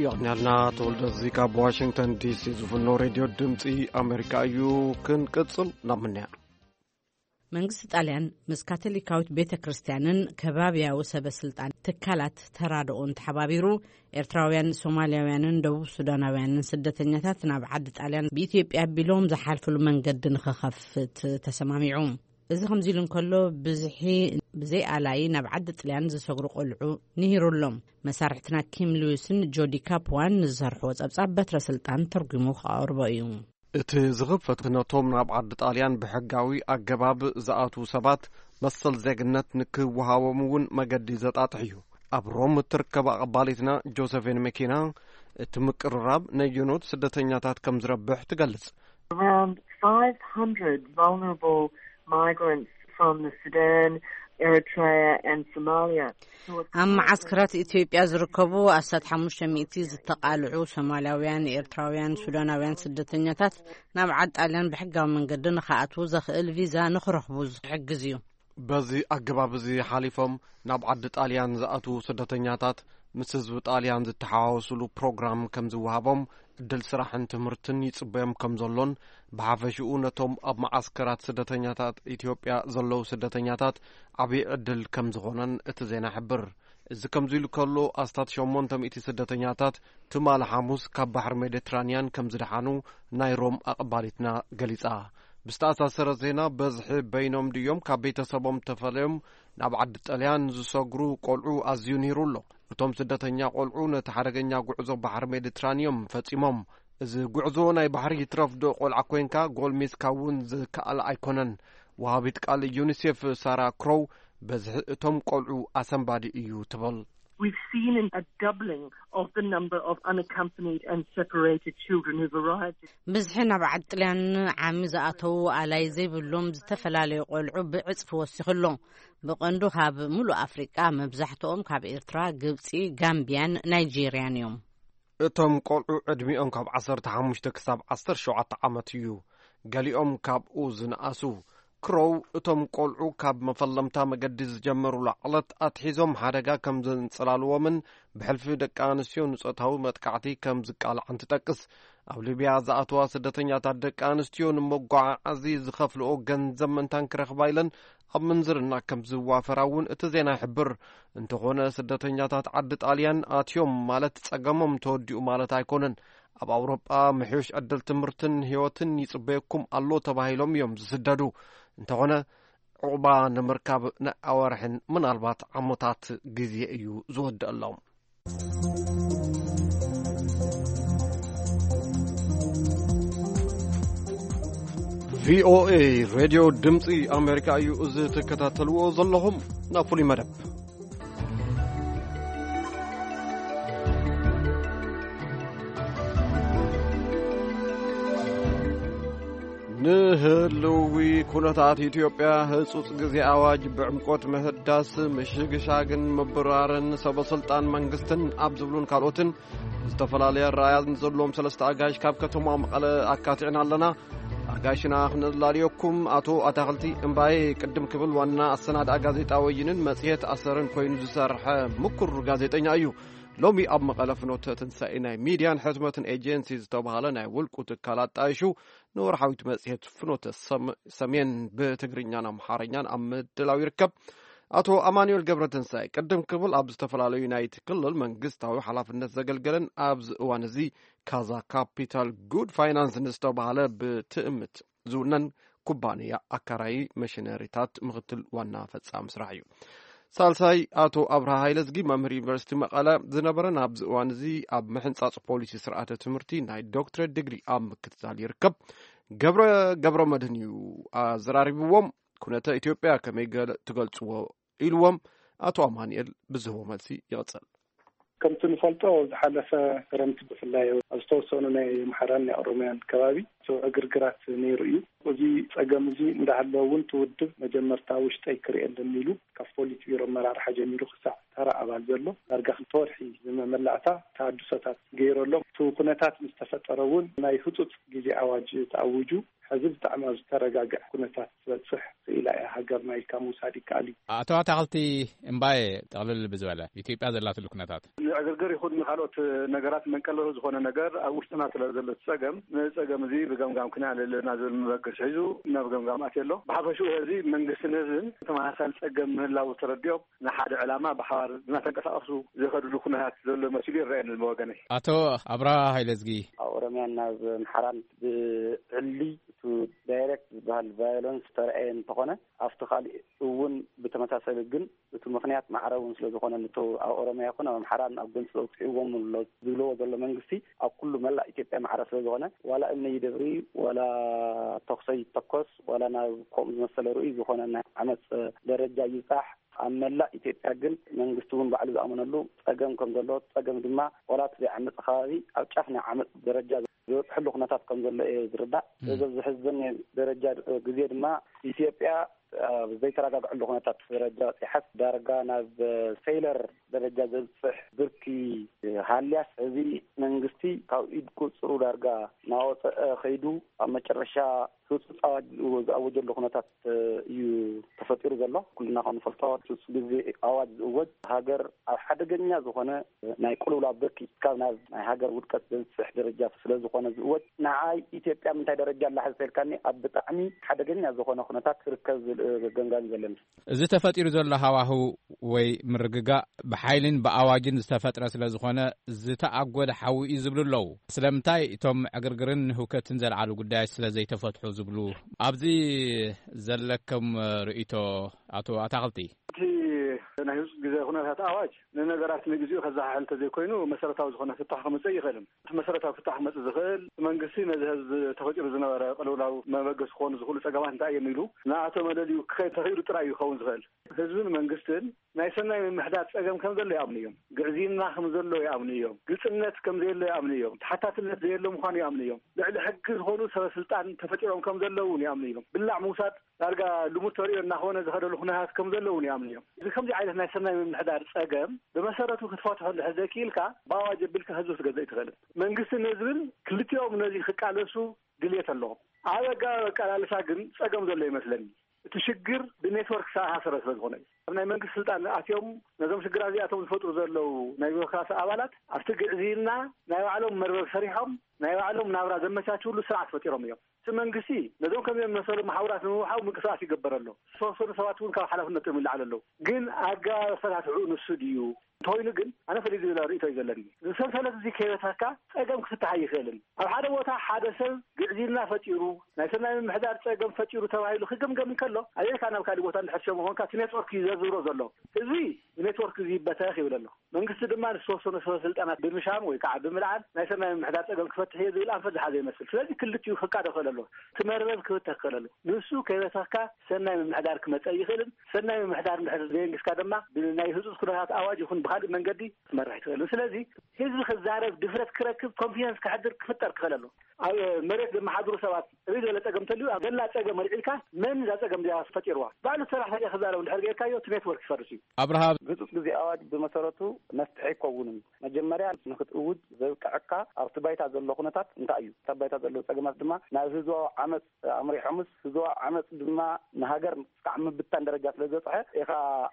የቕንያልና ተወልደ፣ እዚ ካብ ዋሽንግተን ዲሲ ዝፍኖ ሬድዮ ድምፂ ኣሜሪካ እዩ። ክንቅፅል ናብ ምንያ። መንግስቲ ጣልያን ምስ ካቶሊካዊት ቤተ ክርስቲያንን ከባብያዊ ሰበ ስልጣን ትካላት ተራድኦን ተሓባቢሩ፣ ኤርትራውያን፣ ሶማልያውያንን ደቡብ ሱዳናውያንን ስደተኛታት ናብ ዓዲ ጣልያን ብኢትዮጵያ ኣቢሎም ዝሓልፍሉ መንገዲ ንኽኸፍት ተሰማሚዑ። እዚ ከምዚ ኢሉ እንከሎ፣ ብዝሒ ብዘይ ኣላይ ናብ ዓዲ ጥልያን ዝሰግሩ ቆልዑ ንሂሩ ኣሎ። መሳርሕትና ኪም ሉዊስን ጆዲ ካፕዋን ንዝሰርሕዎ ጸብጻብ በትረ ስልጣን ተርጉሙ ክቐርቦ እዩ። እቲ ዝኽፈት ነቶም ናብ ዓዲ ጣልያን ብሕጋዊ ኣገባብ ዝኣትዉ ሰባት መሰል ዜግነት ንክወሃቦም እውን መገዲ ዘጣጥሕ እዩ። ኣብ ሮም እትርከብ ኣቐባሊትና ጆሰፊን መኪና፣ እቲ ምቅርራብ ነየኖት ስደተኛታት ከም ዝረብሕ ትገልጽ። Around five hundred vulnerable migrants from the Sudan, Eritrea and Somalia who are ኣብ መዓስከራት ኢትዮጵያ ዝርከቡ ኣስታት ሓሙሽተ ሚእቲ ዝተቓልዑ ሶማልያውያን፣ ኤርትራውያን፣ ሱዳናውያን ስደተኛታት ናብ ዓዲ ጣልያን ብሕጋዊ መንገዲ ንኽኣትዉ ዘኽእል ቪዛ ንኽረኽቡ ዝሕግዝ እዩ። በዚ ኣገባብ እዚ ሓሊፎም ናብ ዓዲ ጣልያን ዝኣትዉ ስደተኛታት፣ ምስ ህዝቢ ጣልያን ዝተሓዋወሱሉ ፕሮግራም ከም ዝወሃቦም፣ ዕድል ስራሕን ትምህርትን ይጽበዮም ከም ዘሎን፣ ብሓፈሽኡ ነቶም ኣብ መዓስከራት ስደተኛታት ኢትዮጵያ ዘለዉ ስደተኛታት ዓብዪ ዕድል ከም ዝኾነን እቲ ዜና ይሕብር። እዚ ከምዚ ኢሉ ከሎ፣ ኣስታት ሸሞንተ ሚእቲ ስደተኛታት ትማሊ ሓሙስ ካብ ባሕሪ ሜዲትራንያን ከም ዝደሓኑ ናይ ሮም ኣቐባሊትና ገሊጻ። ብዝተኣሳሰረ ዜና፣ በዝሒ በይኖም ድዮም ካብ ቤተሰቦም ተፈልዮም ናብ ዓዲ ጣልያን ዝሰግሩ ቆልዑ ኣዝዩ ንሂሩ ኣሎ። እቶም ስደተኛ ቆልዑ ነቲ ሓደገኛ ጉዕዞ ባሕሪ ሜዲትራንዮም ፈጺሞም። እዚ ጉዕዞ ናይ ባሕሪ ይትረፍ ዶ ቆልዓ ኮይንካ፣ ጎልሚስካ እውን ዝከኣል ኣይኮነን። ወሃቢት ቃል ዩኒሴፍ ሳራ ክሮው፣ በዝሒ እቶም ቆልዑ ኣሰንባዲ እዩ ትብል። We've seen a doubling of the number of unaccompanied and separated children who've arrived. ብዝሒ ናብ ዓዲ ጥልያን ዓሚ ዝኣተዉ ኣላይ ዘይብሎም ዝተፈላለዩ ቆልዑ ብዕጽፊ ወሲኹ ኣሎ። ብቐንዱ ካብ ምሉእ ኣፍሪቃ፣ መብዛሕትኦም ካብ ኤርትራ፣ ግብጺ፣ ጋምቢያን ናይጄርያን እዮም። እቶም ቆልዑ ዕድሚኦም ካብ ዓሰርተ ሓሙሽተ ክሳብ ዓሰርተ ሸውዓተ ዓመት እዩ። ገሊኦም ካብኡ ዝነኣሱ። ክሮው፣ እቶም ቆልዑ ካብ መፈለምታ መገዲ ዝጀመሩላ ዕለት ኣትሒዞም ሓደጋ ከም ዘንጸላልዎምን ብሕልፊ ደቂ ኣንስትዮ ንጾታዊ መጥቃዕቲ ከም ዝቃልዓን ትጠቅስ። ኣብ ሊብያ ዝኣተዋ ስደተኛታት ደቂ ኣንስትዮ ንመጓዓዓዚ ዝኸፍልኦ ገንዘብ ምእንታን ክረኽባ ኢለን ኣብ ምንዝርና ከም ዝዋፈራ እውን እቲ ዜና ይሕብር። እንተኾነ፣ ስደተኛታት ዓዲ ጣልያን ኣትዮም ማለት ጸገሞም ተወዲኡ ማለት ኣይኮነን። ኣብ ኣውሮጳ ምሕዩሽ ዕድል ትምህርትን ህይወትን ይጽበየኩም ኣሎ ተባሂሎም እዮም ዝስደዱ። እንተኾነ፣ ዕቑባ ንምርካብ ናይ ኣዋርሕን ምናልባት ዓሞታት ግዜ እዩ ዝወደኣሎም። ቪኦኤ ሬድዮ ድምፂ ኣሜሪካ እዩ። እዚ ትከታተልዎ ዘለኹም ናብ ፍሉይ መደብ። ንህልዊ ኩነታት ኢትዮጵያ ህጹጽ ግዜ ኣዋጅ ብዕምቆት ምህዳስ፣ ምሽግሻግን ምብራርን ሰበ ስልጣን መንግስትን ኣብ ዝብሉን ካልኦትን ዝተፈላለየ ኣረኣእያ ዘለዎም ሰለስተ ኣጋይሽ ካብ ከተማ መቐለ ኣካቲዕና ኣለና። ኣጋይሽና ክነላልየኩም፣ ኣቶ ኣታኽልቲ እምባዬ ቅድም ክብል ዋና ኣሰናድኣ ጋዜጣ ወይንን መጽሔት ኣሰርን ኮይኑ ዝሰርሐ ምኩር ጋዜጠኛ እዩ። ሎሚ ኣብ መቐለ ፍኖተ ትንሳኤ ናይ ሚድያን ሕትመትን ኤጀንሲ ዝተባህለ ናይ ውልቁ ትካል ኣጣይሹ ንወርሓዊት መጽሔት ፍኖተ ሰም-፣ ሰሜን ብትግርኛን ኣምሓርኛን ኣብ ምድላው ይርከብ። ኣቶ ኣማኑኤል ገብረትንሳኤ ቅድም ክብል ኣብ ዝተፈላለዩ ናይቲ ክልል መንግስታዊ ሓላፍነት ዘገልገለን ኣብዚ እዋን እዚ ካዛ ካፒታል ጉድ ፋይናንስ ንዝተባህለ ብትእምት ዝውነን ኩባንያ ኣካራዪ መሽነሪታት ምኽትል ዋና ፈጻሚ ስራሕ እዩ። ሳልሳይ፣ ኣቶ ኣብርሃ ሃይለዝጊ መምህር ዩኒቨርሲቲ መቐለ ዝነበረን ኣብዚ እዋን እዚ ኣብ ምሕንጻጽ ፖሊሲ ስርዓተ ትምህርቲ ናይ ዶክትሬት ዲግሪ ኣብ ምክትታል ይርከብ። ገብረ ገብረ መድህን እዩ ኣዘራሪብዎም። ኩነተ ኢትዮጵያ ከመይ ገለ ትገልጽዎ ኢልዎም ኣቶ ኣማኑኤል ብዝህቦ መልሲ ይቕጽል። ከምቲ ንፈልጦ፣ ዝሓለፈ ክረምቲ ብፍላይ ኣብ ዝተወሰኑ ናይ ኣምሓራን ናይ ኦሮሚያን ከባቢ ዕግርግራት ነይሩ እዩ። እዚ ጸገም እዚ እንዳሃለወ እውን፣ እቲ ውድብ መጀመርታ ውሽጠይ ክርእየለን ኢሉ፣ ካብ ፖሊት ቢሮ ኣመራርሓ ጀሚሩ ክሳዕ ተራ ኣባል ዘሎ ዳርጋ ክልተ ወርሒ ዝመመላእታ ተሃድሶታት ገይረሎም። እቲ ኩነታት ምስ ተፈጠረ እውን፣ ናይ ህጹጽ ግዜ ኣዋጅ ተኣዊጁ። ሕዚ ብጣዕሚ ኣብ ዝተረጋግዐ ኩነታት ክትበጽሕ ክኢላ እያ ሃገርና ኢልካ ምውሳድ ይከኣል እዩ። ኣቶ ኣታኽልቲ እምባዬ፣ ጠቕልል ብዝበለ ኢትዮጵያ ዘላትሉ ኩነታት። ንዕግርግር ይኹን ንኻልኦት ነገራት መንቀለሉ ዝኾነ ነገር ኣብ ውሽጥና ስለ ዘሎ፣ እቲ ጸገም፣ ነዚ ጸገም እዚ ብገምጋም ክነዕልል ኣለና ዝብል መበገሲ ሒዙ ናብ ገምጋም ኣትዩ ኣሎ። ብሓፈሽኡ፣ እዚ መንግስትን ህዝብን ተመሳሳሊ ጸገም ምህላው ተረዲኦም፣ ንሓደ ዕላማ ብሓባር እናተንቀሳቐሱ ዝኸድሉ ኩነታት ዘሎ መሲሉ ይረኣየኒ ብወገነይ። ኣቶ ኣብርሃ ሃይለዝጊ። ኣብ ኦሮሚያን ናብ ኣምሓራን ብዕሊ፣ እቲ ዳይሬክት ዝበሃል ቫዮለንስ ተረኣየ እንተኾነ፣ ኣብቲ ካሊእ እውን ብተመሳሰሊ፣ ግን እቲ ምኽንያት ማዕረ እውን ስለ ዝኾነ፣ ነቲ ኣብ ኦሮሚያ ይኹን ኣብ ኣምሓራን ኣብ ጎንፂ ኣውፂእዎም ኣሎ ዝብልዎ ዘሎ መንግስቲ፣ ኣብ ኩሉ መላእ ኢትዮጵያ ማዕረ ስለ ዝኾነ፣ ዋላ እምኒ ይደብሪ፣ ዋላ ተኩሰ ይተኮስ፣ ዋላ ናብ ከምኡ ዝመሰለ ርኡይ ዝኾነ ናይ ዓመፅ ደረጃ ይብፃሕ፣ ኣብ መላእ ኢትዮጵያ ግን መንግስቲ እውን ባዕሉ ዝኣመነሉ ጸገም ከም ዘሎ፣ ጸገም ድማ ዋላ እቲ ዘይዓመጸ ከባቢ ኣብ ጫፍ ናይ ዓመጽ ደረጃ ዝበጽሐሉ ኩነታት ከም ዘሎ እየ ዝርዳእ። እም። እዚ ኣብ ዝሕዝን ደረጃ ግዜ ድማ ኢትዮጵያ ኣብ ዘይተረጋግዐሉ ኩነታት ደረጃ በጺሓስ፣ ዳርጋ ናብ ፌይለር ደረጃ ዘብጽሕ ብርኪ ሃልያስ፣ እዚ መንግስቲ ካብ ኢድ ቁፅሩ ዳርጋ እናወፀአ ከይዱ ኣብ መጨረሻ ህፁፅ ኣዋጅ ዝኣወጀሉ ኩነታት እዩ ተፈጢሩ ዘሎ። ኩልና ከም ንፈልጦ ህፁፅ ግዜ ኣዋጅ ዝእወጅ ሃገር ኣብ ሓደገኛ ዝኾነ ናይ ቅልውላው ብርኪ ካብ ናብ ናይ ሃገር ውድቀት ዘብፅሕ ደረጃ ስለ ዝኾነ ዝእወጅ፣ ንዓይ ኢትዮጵያ ምንታይ ደረጃ ኣላ ሕዚ ተልካኒ ኣብ ብጣዕሚ ሓደገኛ ዝኾነ ኩነታት ትርከብ ዝብል ገምጋም እዩ ዘለኒ። እዚ ተፈጢሩ ዘሎ ሃዋህው ወይ ምርግጋእ ብሓይልን ብኣዋጅን ዝተፈጥረ ስለ ዝኾነ ዝተኣጎደ ሓዊ እዩ ዝብሉ ኣለዉ። ስለምንታይ እቶም ዕግርግርን ህውከትን ዘልዓሉ ጉዳያት ስለ ዘይተፈትሑ ዝብሉ ኣብዚ ዘለኩም ርእይቶ ኣቶ ኣታኽልቲ? እቲ ናይ ህፁፅ ግዜ ኩነታት ኣዋጅ ንነገራት ንግዚኡ ከዘሓሕል እንተዘይኮይኑ መሰረታዊ ዝኾነ ፍታሕ ክመፅእ ይኽእልን። እቲ መሰረታዊ ፍታሕ ክመፅእ ዝኽእል መንግስቲ ነዚ ህዝቢ ተፈጢሩ ዝነበረ ቅልውላው መበገሲ ክኾኑ ዝኽእሉ ፀገማት እንታይ እዮም ኢሉ ንኣቶ መለልዩ ክኸይድ ተኽኢሉ ጥራይ እዩ ክኸውን ዝኽእል። ህዝብን መንግስትን ናይ ሰናይ ምምሕዳር ፀገም ከም ዘሎ ይኣምኑ እዮም። ግዕዝይና ከም ዘሎ ይኣምኑ እዮም። ግልፅነት ከም ዘየሎ ይኣምኑ እዮም። ተሓታትነት ዘየሎ ምዃኑ ይኣምኑ እዮም። ልዕሊ ሕጊ ዝኾኑ ሰበ ስልጣን ተፈጢሮም ከም ዘለዉ እውን ይኣምኑ እዮም። ብላዕ ምውሳድ ዳርጋ ልሙድ ተርእዮ እናኾነ ዝኸደሉ ኩነታት ከም ዘለዉ እውን ይኣምኑ እዮም። እዚ ከምዚ ዓይነት ናይ ሰናይ ምምሕዳር ፀገም ብመሰረቱ ክትፈትሖ እንድሕር ዘይክኢልካ ብኣዋጅ ኣቢልካ ህዝቢ ክትገዝእ ኣይትኽእልን። መንግስትን ህዝብን ክልቲኦም ነዚ ክቃለሱ ድልየት ኣለዎም። ኣብ ኣገባብ ኣቀላልሳ ግን ፀገም ዘሎ ይመስለኒ። እቲ ሽግር ብኔትወርክ ዝተኣሳሰረ ስለ ዝኾነ እዩ። ኣብ ናይ መንግስቲ ስልጣን ኣትዮም ነዞም ሽግራት እዚኣቶም ዝፈጥሩ ዘለዉ ናይ ቢሮክራሲ ኣባላት ኣብቲ ግዕዝይና ናይ ባዕሎም መርበብ ሰሪሖም ናይ ባዕሎም ናብራ ዘመቻችውሉ ስርዓት ፈጢሮም እዮም። እቲ መንግስቲ ነዞም ከም መሰሉ መሓውራት ንምውሓው ምንቅስቃስ ይገበር ኣሎ። ዝተወሰኑ ሰባት እውን ካብ ሓላፍነቶም ይለዓሉ ኣለዉ። ግን ኣገባብ ኣፈታትሕኡ ንሱ ድዩ እንተኾይኑ ግን ኣነ ፈሊዩ ዝብል ርእይቶ እዩ ዘለኒ። እዚ ሰንሰለት እዚ ከይበተካ ፀገም ክፍታሕ ኣይኽእልን። ኣብ ሓደ ቦታ ሓደ ሰብ ግዕዝይና ፈጢሩ ናይ ሰናይ ምምሕዳር ፀገም ፈጢሩ ተባሂሉ ክግምገም እንከሎ ኣየካ ናብ ካሊእ ቦታ እንድሕር ሸሙ ኮንካ እቲ ኔትወርክ እዩ ዘዝብሮ ዘሎ። ህዝቢ ብኔትወርክ እዚ ይበተኽ ይብል ኣሎ። መንግስቲ ድማ ንዝተወሰኑ ሰበ ስልጣናት ብምሻም ወይ ከዓ ብምልዓል ናይ ሰናይ ምምሕዳር ፀገም ክፈትሕ እየ ዝብል ኣንፈት ዝሓዘ ይመስል። ስለዚ ክልቲኡ ክቃዶ ክእል ኣሎ። እቲ መርበብ ክብተኽ ክእል ኣሎ። ንሱ ከይበተኽካ ሰናይ ምምሕዳር ክመፀ ይኽእልን ሰናይ ምምሕዳር እንድሕር ዘየንግስካ ድማ ብናይ ህፁፅ ኩነታት ኣዋጅ ይኹን ብካሊእ መንገዲ ክትመርሕ ኣይትኽእልን። ስለዚ ህዝቢ ክዛረብ ድፍረት ክረክብ ኮንፊደንስ ክሕድር ክፍጠር ክኽእል ኣሎ። ኣብ መሬት ዘመሓድሩ ሰባት ርኢ ዘለ ፀገም እንተልዩ ኣብ ዘላ ፀገም ኣልዒልካ መን እዛ ፀገም እዚኣ ፈጢርዋ ባዕሉ ሰራሕተኛ ክዛረብ እንድሕር ገይርካዮ እቲ ኔትወርክ ይፈርስ እዩ። ኣብርሃ፣ ህፁፅ ግዜ ኣዋጅ ብመሰረቱ መፍትሒ ኣይከውንን። መጀመርያ ንክትእውጅ ዘብቅዐካ ኣብቲ ባይታ ዘሎ ኩነታት እንታይ እዩ? እታ ባይታ ዘለዉ ፀገማት ድማ ናብ ህዝባዊ ዓመፅ ኣምሪሖምስ ህዝባዊ ዓመፅ ድማ ንሃገር ስካዕ ምብታን ደረጃ ስለ ዝበፅሐ ኢኻ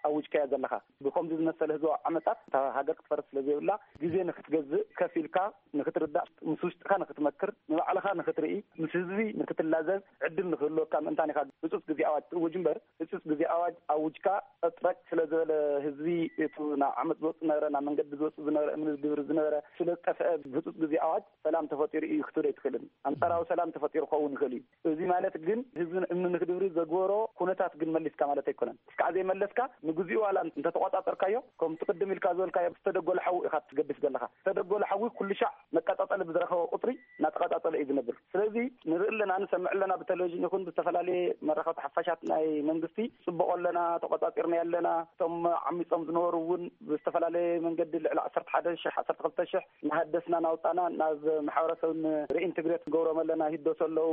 ኣውጅካዮ ዘለኻ። ብከምዚ ዝመሰለ ህዝባዊ ዓመፃት እታ ሃገር ክትፈርስ ስለ ዘይብላ ግዜ ንክትገዝእ ከፊልካ ንክትርዳእ ምስ ውሽጥኻ ንክትመክር ንባዕልኻ ንክትርኢ ምስ ህዝቢ ንክትላዘብ ዕድል ንክህልወካ ምእንታን ኢኻ ህፁፅ ግዜ ኣዋጅ ትእውጅ እምበር ህፁፅ ግዜ ኣዋጅ ኣውጅካ ጠጥረቅ ስለ ዝበለ ህዝቢ እቱ ናብ ዓመፅ ዝወፅ ዝነበረ ናብ መንገዲ ዝወፅ ዝነበረ እምኒ ግብሪ ዝነበረ ስለ ዝጠፍአ ህፁፅ ግዜ ኣዋጅ ሰላም ተፈጢሩ እዩ ክትብል ኣይትኽእልን። ኣንጻራዊ ሰላም ተፈጢሩ ክኸውን ይኽእል እዩ። እዚ ማለት ግን ህዝቢ እምኒ ንክድብሪ ዘግበሮ ኩነታት ግን መሊስካ ማለት ኣይኮነን። እስካዕ ዘይመለስካ ንግዚኡ ዋላ እንተተቆጻጸርካዮ ከምቲ ቅድም ኢልካ ዝበልካዮ ዝተደጎለ ሓዊ ኢኻ ትገድፍ ዘለኻ። ዝተደጎለ ሓዊ ኩሉ ሻዕ መቀጻጸሊ ብዝረኸበ ቁጽሪ እናተቐጻጸለ እዩ ዝነብር። ስለዚ ንርኢ ኣለና ንሰምዕ ኣለና ብቴሌቪዥን ይኹን ብዝተፈላለየ መራኸብቲ ሓፋሻት ናይ መንግስቲ ጽቡቕ ኣለና ተቆጻጺርና ኣለና። እቶም ዓሚጾም ዝነበሩ እውን ብዝተፈላለየ መንገዲ ልዕሊ ዓሰርተ ሓደ ሽሕ ዓሰርተ ክልተ ሽሕ እናሃደስና እናውፃና ናብ ማሕበረሰብ ሪኢንትግሬት ንገብሮም ኣለና ይህደሱ ኣለዉ።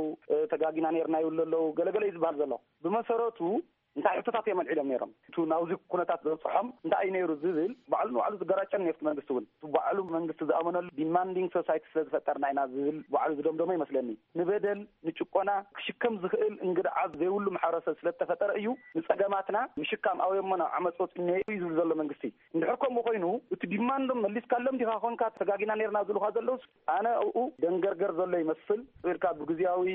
ተጋጊና ነርና ይብሉ ኣለዉ። ገለገለ እዩ ዝበሃል ዘሎ። ብመሰረቱ እንታይ ሕቶታት እዮም ኣልዒሎም ነይሮም? እቱ ናብዚ ኩነታት ዘብፅሖም እንታይ እዩ ነይሩ ዝብል ባዕሉ ንባዕሉ ዝገራጨን ነፍቲ መንግስቲ እውን እቲ ባዕሉ መንግስቲ ዝኣመነሉ ዲማንዲንግ ሶሳይቲ ስለ ዝፈጠርና ኢና ዝብል ባዕሉ ዝደምደሞ ይመስለኒ። ንበደል ንጭቆና ክሽከም ዝኽእል እንግድዓ ዘይብሉ ማሕበረሰብ ስለ ዝተፈጠረ እዩ። ንፀገማትና ምሽካም ኣውዮሞ ናብ ዓመፅ ወፂኡ እዩ ዝብል ዘሎ መንግስቲ። እንድሕር ከምኡ ኮይኑ እቲ ዲማንዶም መሊስካሎም ዲኻ ኮንካ ተጋጊና ነርና ዝብሉካ ዘለውስ ኣነ ኣብኡ ደንገርገር ዘሎ ይመስል። ኢልካ ብግዜያዊ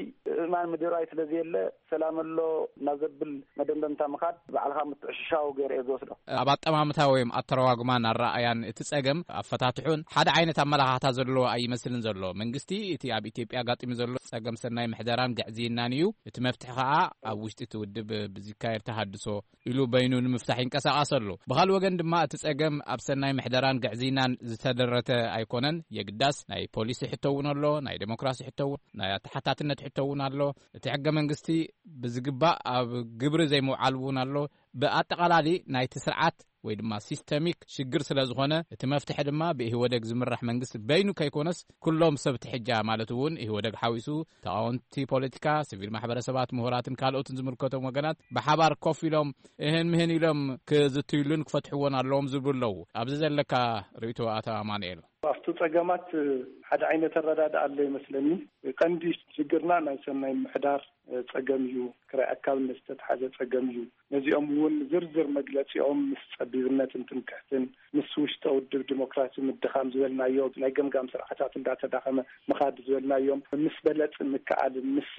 እማን ምድራይ ስለ ዘየለ ሰላም ኣሎ እናዘብል መደምደምታ ምኻድ ባዕልኻ ምትዕሽሻው ገይረ እየ ዝወስዶ። ኣብ ኣጠማምታ ወይም ኣተረጓጉማን ኣረኣእያን እቲ ጸገም ኣፈታትሑን ሓደ ዓይነት ኣመላኻኽታ ዘለዎ ኣይመስልን ዘሎ። መንግስቲ እቲ ኣብ ኢትዮጵያ ኣጋጢሙ ዘሎ ጸገም ሰናይ ምሕደራን ግዕዝይናን እዩ። እቲ መፍትሒ ከኣ ኣብ ውሽጢ እቲ ውድብ ብዝካየድ ተሃድሶ ኢሉ በይኑ ንምፍታሕ ይንቀሳቐስ ኣሎ። ብኻልእ ወገን ድማ እቲ ጸገም ኣብ ሰናይ ምሕደራን ግዕዝይናን ዝተደረተ ኣይኮነን። የግዳስ ናይ ፖሊሲ ሕቶ እውን ኣሎ፣ ናይ ዴሞክራሲ ሕቶ እውን፣ ናይ ኣተሓታትነት ሕቶ እውን ኣሎ። እቲ ሕገ መንግስቲ ብዝግባእ ኣብ ግብሪ ዘይምውዓል እውን ኣሎ። ብኣጠቓላሊ ናይቲ ስርዓት ወይ ድማ ሲስተሚክ ሽግር ስለ ዝኾነ እቲ መፍትሒ ድማ ብኢህወደግ ዝምራሕ መንግስቲ በይኑ ከይኮነስ ኩሎም ሰብ ትሕጃ ማለት እውን ኢህወደግ ሓዊሱ ተቓወምቲ ፖለቲካ፣ ሲቪል ማሕበረሰባት፣ ምሁራትን ካልኦትን ዝምልከቶም ወገናት ብሓባር ኮፍ ኢሎም እህን ምህን ኢሎም ክዝትይሉን ክፈትሕዎን ኣለዎም ዝብሉ ኣለዉ። ኣብዚ ዘለካ ርእይቶ ኣቶ ኣማኑኤል? ኣብቲ ጸገማት ሓደ ዓይነት ኣረዳድኣ ኣሎ ይመስለኒ። ቀንዲ ሽግርና ናይ ሰናይ ምሕዳር ጸገም እዩ፣ ክራይ ኣካብነት ዝተትሓዘ ጸገም እዩ። ነዚኦም እውን ዝርዝር መግለጺኦም ምስ ጸቢብነትን ትምክሕትን፣ ምስ ውሽጠ ውድብ ዲሞክራሲ ምድኻም ዝበልናዮ፣ ናይ ገምጋም ስርዓታት እንዳተዳኸመ ምኻድ ዝበልናዮም፣ ምስ በለጽን ምክኣልን፣ ምስ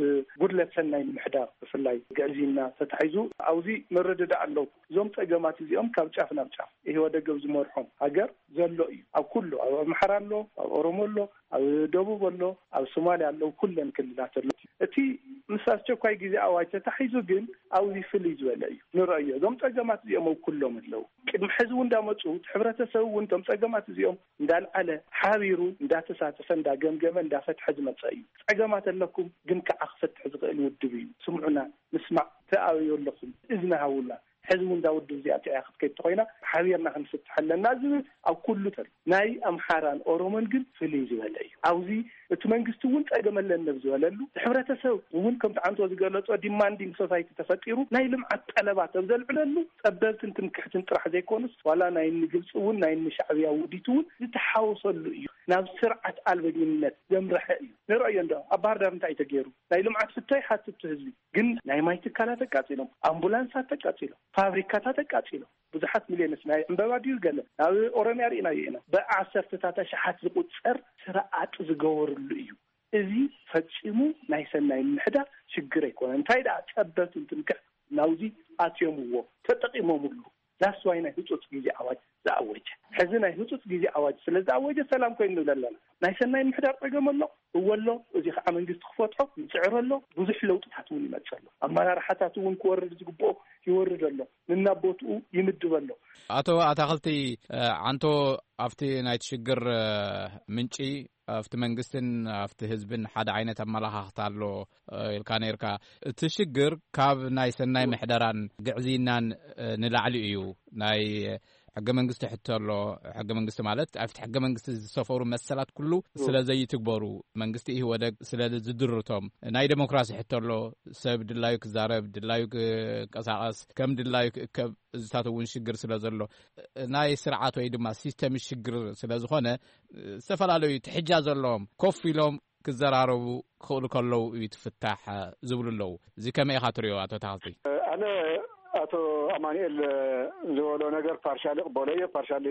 ጉድለት ሰናይ ምሕዳር ብፍላይ ግዕዝይና ተታሒዙ ኣብዚ ምርድዳእ ኣለዉ። እዞም ጸገማት እዚኦም ካብ ጫፍ ናብ ጫፍ ኢህወደግ ኣብ ዝመርሖም ሃገር ዘሎ እዩ። ኣብ ኩሉ፣ ኣብ ኣምሓራ ኣሎ፣ ኣብ ኦሮሞ ኣሎ፣ ኣብ ደቡብ ኣሎ፣ ኣብ ሶማልያ ኣለዉ፣ ኩለን ክልላት ኣሎ። እቲ ምስ ኣስቸኳይ ግዜ ኣዋጅ ተታሒዙ ግን ኣብዚ ፍልይ ዝበለ እዩ ንረእዮ። እዞም ጸገማት እዚኦም ኣብ ኩሎም ኣለዉ። ቅድሚ ሕዚ እውን እንዳመጹ፣ እቲ ሕብረተሰብ እውን እቶም ጸገማት እዚኦም እንዳልዓለ፣ ሓቢሩ እንዳተሳተፈ፣ እንዳገምገመ፣ እንዳፈትሐ ዝመጸ እዩ። ጸገማት ኣለኩም፣ ግን ከዓ ክፈትሕ ዝኽእል ውድብ እዩ። ስምዑና፣ ንስማዕ፣ ተኣበዩ ኣለኹም፣ እዝኒ ሃቡና። ሕዚ እውን እዛ ውድብ እዚኣ ጥዕያ ክትከይድ ተኾይና፣ ሓቢርና ክንፍትሕ ኣለና ዝብል ኣብ ኩሉ ተሎ። ናይ ኣምሓራን ኦሮሞን ግን ፍልይ ዝበለ እዩ። ኣብዚ እቲ መንግስቲ እውን ጸገም ኣለኒ ኣብ ዝበለሉ፣ እቲ ሕብረተሰብ እውን ከምቲ ዓንቶ ዝገለጾ ዲማንዲንግ ሶሳይቲ ተፈጢሩ፣ ናይ ልምዓት ጠለባት ኣብ ዘልዕለሉ፣ ጸበብትን ትምክሕትን ጥራሕ ዘይኮኑስ፣ ዋላ ናይ ንግብጺ እውን ናይ ንሻዕብያ ውዲት እውን ዝተሓወሰሉ እዩ። ናብ ስርዓት ኣልበኝነት ዘምረሐ እዩ። ንርእዮ እንዶ ኣብ ባህር ዳር እንታይ እዩ ተገይሩ? ናይ ልምዓት ፍቶ ይሓትቱ ህዝቢ፣ ግን ናይ ማይ ትካላት ኣቃጺሎም፣ ኣምቡላንሳት ተቃጺሎም፣ ፋብሪካታት ኣቃጺሎም፣ ብዙሓት ሚልዮንስ ናይ ዕምበባ ድዩ ገለ ናብ ኦሮምያ ርኢናዮ ኢና። ብዓሰርተታት ኣሽሓት ዝቑጸር ስርዓት ዝገበርሉ እዩ። እዚ ፈጺሙ ናይ ሰናይ ምሕዳር ሽግር ኣይኮነን። እንታይ ደኣ ጸበብትን ትምክሕትን ናብዚ ኣትዮምዎ፣ ተጠቒሞምሉ። ዳስ ዋይ ናይ ህጹጽ ግዜ ኣዋጅ ዝኣወጀ። ሕዚ ናይ ህጹጽ ግዜ ኣዋጅ ስለ ዝኣወጀ ሰላም ኮይኑ ንብል ኣለና። ናይ ሰናይ ምሕዳር ጸገም ኣሎ፣ እወ ኣሎ። እዚ ከዓ መንግስቲ ክፈትሖ ይጽዕር ኣሎ። ብዙሕ ለውጥታት እውን ይመጽእ ኣሎ። ኣመራርሓታት እውን ክወርድ ዝግብኦ ይወርድ ኣሎ። ንናቦትኡ ይምድብ ኣሎ። ኣቶ ኣታኽልቲ፣ እ፣ ዓንቶ ኣብቲ ናይቲ ሽግር፣ እ፣ ምንጪ ኣብቲ መንግስትን ኣብቲ ህዝብን ሓደ ዓይነት ኣመለኻኽታ ኣሎ፣ እ፣ ኢልካ ነይርካ። እቲ ሽግር ካብ ናይ ሰናይ ምሕደራን ግዕዝይናን፣ እ፣ ንላዕሊ እዩ። ናይ ሕገ መንግስቲ ሕቶ ኣሎ። ሕገ መንግስቲ ማለት ኣብቲ ሕገ መንግስቲ ዝሰፈሩ መሰላት ኩሉ ስለ ዘይትግበሩ፣ መንግስቲ ኢህወደግ ስለ ዝድርቶም፣ ናይ ዴሞክራሲ ሕቶ ኣሎ። ሰብ ድላዩ ክዛረብ፣ ድላዩ ክንቀሳቐስ፣ ከም ድላዩ ክእከብ፣ እዚታት እውን ሽግር ስለ ዘሎ፣ ናይ ስርዓት ወይ ድማ ሲስተም ሽግር ስለ ዝኾነ፣ ዝተፈላለዩ ትሕጃ ዘለዎም ኮፍ ኢሎም ክዘራረቡ ክኽእሉ ከለዉ እዩ ትፍታሕ ዝብሉ ኣለዉ። እዚ ከመይ ኢኻ ትሪኦ ኣቶ ተኸስቲ? ኣነ ኣቶ ኣማኑኤል ዝበሎ ነገር ፓርሻሊ ቅበሎ እየ፣ ፓርሻሊ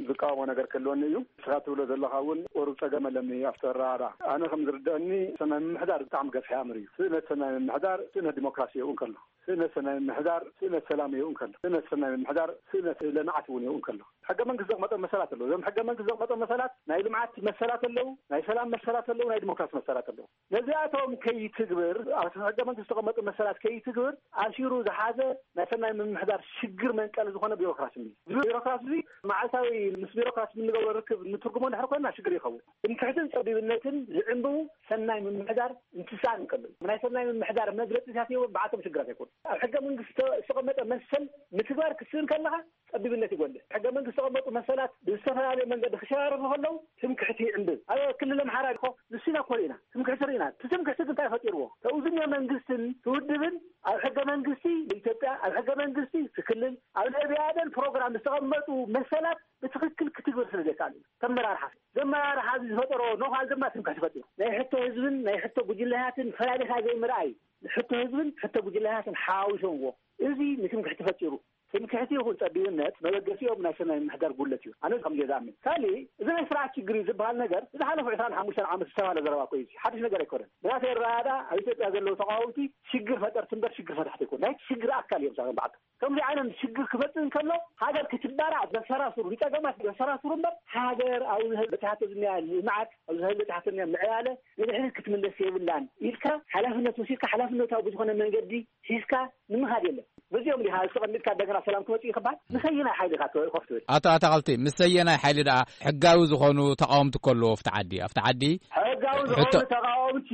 ዝቃወሞ ነገር ክህልወኒ እዩ። ንስኻ ትብሎ ዘለኻ እውን ቁሩብ ጸገም ኣለኒ ኣብቲ ኣረዳድኣ። ኣነ ከም ዝርድአኒ ሰናይ ምምሕዳር ብጣዕሚ ገፊሕ ኣምር እዩ። ስእነት ሰናይ ምምሕዳር ስእነት ዲሞክራሲ ይኸውን ከሎ፣ ስእነት ሰናይ ምምሕዳር ስእነት ሰላም ይኸውን ከሎ፣ ስእነት ሰናይ ምምሕዳር ስእነት ልምዓት እውን ይኸውን ከሎ፣ ሕገ መንግስቲ ዘቕመጠ መሰላት ኣለዉ። እዞም ሕገ መንግስቲ ዘቕመጠ መሰላት ናይ ልምዓት መሰላት ኣለዉ፣ ናይ ሰላም መሰላት ኣለዉ፣ ናይ ዲሞክራሲ መሰላት ኣለዉ። ነዚኣቶም ከይትግብር፣ ኣብ ሕገ መንግስቲ ዝተቐመጡ መሰላት ከይትግብር ኣሲሩ ዝሓዘ ናይ ሰናይ ምምሕዳር ሽግር መንቀሊ ዝኾነ ቢሮክራሲ እዩ። እዚ ቢሮክራሲ እዚ መዓልታዊ ምስ ቢሮክራሲ እንገብሮ ርክብ ንትርጉሞ እንድሕር ኮይንና ሽግር ይኸውን። ትምክሕትን ጸቢብነትን ዝዕንብቡ ሰናይ ምምሕዳር እንትስኣን እንከሎ፣ ናይ ሰናይ ምምሕዳር መግለጺታት ይህቡ፣ ብዓቶም ሽግራት ኣይኮኑ። ኣብ ሕገ መንግስቲ ዝተቐመጠ መሰል ምትግባር ክትስእን ከለኻ ጸቢብነት ይጎልሕ። ሕገ መንግስቲ ዝተቐመጡ መሰላት ብዝተፈላለየ መንገዲ ክሸራረፉ ከለዉ ትምክሕቲ ይዕንብብ። ኣብ ክልል ኣምሓራ እኮ ንሱ ኢና እኮ ርኢና፣ ትምክሕቲ ርኢና። እቲ ትምክሕቲ ግን እንታይ ፈጢርዎ? ተውዝንዮ መንግስትን ትውድብን ኣብ ሕገ መንግስቲ ኢትዮጵያ፣ ኣብ ሕገ መንግስቲ እቲ ክልል፣ ኣብ ናይ ብኣዴን ፕሮግራም ዝተቐመጡ መሰላት ብትኽክል ክትግብር ስለ ዘይከኣል እዩ። ተመራርሓ ዘመራርሓ እዚ ዝፈጠሮ ነዃል ድማ ትምክሕቲ ፈጢሩ። ናይ ሕቶ ህዝብን ናይ ሕቶ ጉጅለታትን ፈላሊኻ ዘይምርኣይ፣ ሕቶ ህዝብን ሕቶ ጉጅለታትን ሓዋዊሶምዎ። እዚ ንትምክሕቲ ፈጢሩ። ትምክሕቲ ይኹን ጸቢብነት መበገሲኦም ናይ ሰናይ ምሕዳር ጉድለት እዩ። ኣነ ከምዚ እየ ዝኣምን። ካልእ፣ እዚ ናይ ስርዓት ችግር እዩ ዝበሃል ነገር ዝሓለፉ ዕስራን ሓሙሽተን ዓመት ዝተባህለ ዘረባ እኮ እዩ። እዚ ሓድሽ ነገር ኣይኮነን። ብናተይ ኣረዳድኣ ኣብ ኢትዮጵያ ዘለዉ ተቃወምቲ ሽግር ፈጠርቲ እምበር ሽግር ፈታሕቲ ኣይኮኑን። ናይ ሽግር ኣካል እዮም ሳቶም በዓልቶም። ከምዚ ዓይነት ሽግር ክመጽእ እንከሎ ሃገር ክትባራዕ ዘሰራስሩ ንጸገማት ዘሰራስሩ እምበር ሃገር ኣብዚ ህዝቢ በጺሓቶ ዝኒኣ ልምዓት፣ ኣብዚ ህዝቢ በጺሓቶ ዝኒኣ ምዕባለ ንድሕሪት ክትምለስ የብላን ኢልካ ሓላፍነት ወሲድካ ሓላፍነታዊ ብዝኾነ መንገዲ ሒዝካ ንምኻድ የለን። በዚኦም ዲኻ ዝተቐሚጥካ እንደገና ሰላም ክመጽእ እዩ ክበሃል? ንሰየናይ ሓይሊ ኢኻ ትኸፍት ትብል? ኣቶ ኣታኽልቲ፣ ምስ ሰየናይ ሓይሊ ደኣ ሕጋዊ ዝኾኑ ተቃወምቲ እኮ ኣለዉ ኣብቲ ዓዲ? ኣብቲ ዓዲ ሕጋዊ ዝኾኑ ሕቶ ተቃወምቲ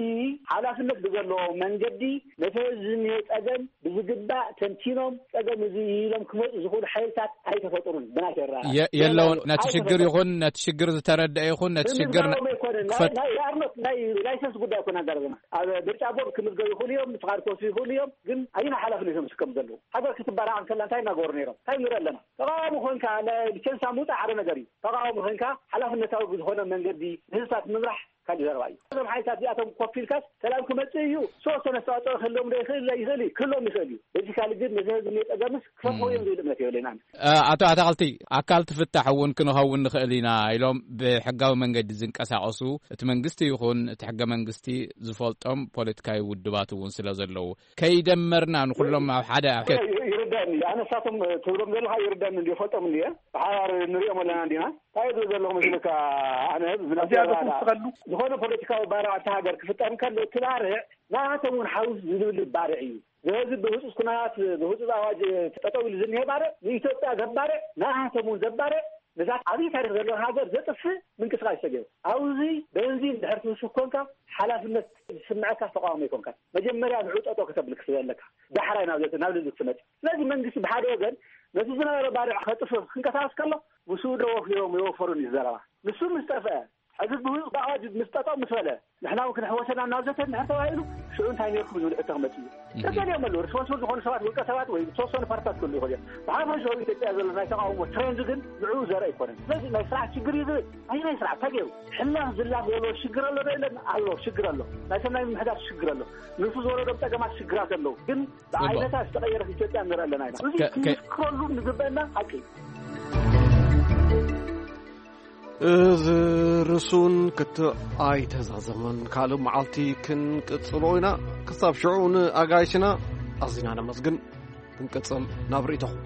ሓላፍነት ብዘለዎ መንገዲ ነቲ ህዝቢ ዝኒሀ ጸገም ብዝግባእ ተንቲኖም ጸገም እዚ እዩ ኢሎም ክመጹ ዝኽእሉ ሓይልታት ኣይተፈጥሩን። ብናይ ተራ የ-፣ የለውን። ነቲ ሽግር ኣይተፈጠሩን። ይኹን ነቲ ሽግር ዝተረድአ ይኹን ነቲ ሽግር ን-፣ ብምግባሮም ኣይኮነ ናይ ክፈት ናይ ኣርኖት ናይ ላይሰንስ ጉዳይ እኮ እናዛረበና። ኣብ ምርጫ ቦርድ ክምዝገቡ ይኽእሉ እዮም፣ ፍቓድ ክወስዱ ይኽእሉ እዮም። ግን ኣይና ሓላፍነት እዮም ዝስከሙ ዘለዉ? ሃገር ክትባራዕ እንከላ እንታይ እናገበሩ ነይሮም? እንታይ ንርኢ ኣለና? ተቓዋሚ ኮንካ ለ- ሊቸንሳ ምውፃእ ሓደ ነገር እዩ። ተቓዋሚ ኮንካ ሓላፍነታዊ ብዝኾነ መንገዲ ንህዝብታት ምምራሕ ካልእ ዘረባ እዩ። እዞም ሓይልታት እዚኣቶም ኮፍ ኢልካስ ሰላም ክመፅእ እዩ፣ ዝተወሰነ ኣስተዋፅኦ ክህልዎም ዶ ይኽእል? ይኽእል እዩ፣ ክህልዎም ይኽእል እዩ። በዚ ካልእ ግን ነዚ ህዝቢ እኒኦ ፀገምስ ክፈትዎ እዮም ዝብል እምነት የብለይን ኣነ። ኣቶ ኣታኽልቲ፣ ኣካል ትፍታሕ እውን ክንኸውን ንኽእል ኢና ኢሎም ብሕጋዊ መንገዲ ዝንቀሳቐሱ እቲ መንግስቲ ይኹን እቲ ሕገ መንግስቲ ዝፈልጦም ፖለቲካዊ ውድባት እውን ስለ ዘለዉ ከይደመርና ንኹሎም ኣብ ሓደ ኣብ ከ- ይርዳኒ። ኣነ ንሳቶም ትብሎም ዘለኻ ይርዳኒ እንዲ ፈልጦም እንዲ ብሓባር ንሪኦም ኣለና እንዲና እንታይ ዝብል ዘለኹ መስልካ? ኣነ ብናይ እዚኣ ባርዕ ዝኽስኸሉ ዝኾነ ፖለቲካዊ ባርዕ ኣብቲ ሃገር ክፍጠር እንከሎ እቲ ባርዕ ናቶም እውን ሓውስ ዝብል ባርዕ እዩ። ስለዚ ብህፁፅ ኩነታት ብህፁፅ ኣዋጅ ጠጠው ኢሉ ዝኒሄ ባርዕ ንኢትዮጵያ ዘባርዕ ናቶም እውን ዘባርዕ ነዛ ዓብዪ ታሪክ ዘለዋ ሃገር ዘጥፍእ ምንቅስቃስ ተገይሩ። ኣብዚ በንዚን ድሕር ትውስኽ ኮንካ ሓላፍነት ዝስምዐካ ተቃዋሚ ኣይኮንካ። መጀመርያ ንዑ ጠጠው ከተብል ክስለ ኣለካ ዳሕራይ ናብ ዘተ ናብ ልዝብ ትመፅእ። ስለዚ መንግስቲ ብሓደ ወገን ነቲ ዝነበረ ባርዕ ከጥፍእ ክንቀሳቀስ ከሎ ምስኡ ዶ ወፊሮም የወፈሩን እዩ ዘረባ። ንሱ ምስ ጠፍአ ሕዚ ብህፁፅ ኣዋጅ ምስ ጠጠው ምስ በለ ንሕና እውን ክንሕወሰና እናዘተ እንድሕር ተባሂሉ ሽዑ እንታይ ነይርኩም ዝብል ሕቶ ክመፅእ እዩ። ተገሊኦም ኣለዉ ሪስፖንስብል ዝኾኑ ሰባት ውልቀ ሰባት ወይ ዝተወሰኑ ፓርትታት ክህሉ ይኽእል እዮም። ብሓፈሻዊ ኢትዮጵያ ዘሎ ናይ ተቃውሞ ትሬንድ ግን ንዕኡ ዘርኢ ኣይኮነን። ስለዚ ናይ ስርዓት ሽግር እዩ ዝብል ኣይ ናይ ስርዓት እንታይ ገይሩ ሕላፍ ዝላፍ ዘሎ ሽግር ኣሎ ዶ የለን? ኣሎ ሽግር ኣሎ። ናይ ሰናይ ምምሕዳር ሽግር ኣሎ። ንሱ ዝወረዶም ፀገማት ሽግራት ኣለዉ ግን ብዓይነታ ዝተቐየረት ኢትዮጵያ ንርኢ ኣለና ኢና። እዚ ከ- ከ- ክንዝክረሉ ንግበአና ሓቂ እዩ። እዚ ርሱን ክትዕ ኣይተዛዘመን። ካልእ መዓልቲ ክንቅጽሎ ኢና። ክሳብ ሽዑ ንኣጋይሽና ኣዚና ነመስግን። ክንቅጽል ናብ ርእይቶኹም።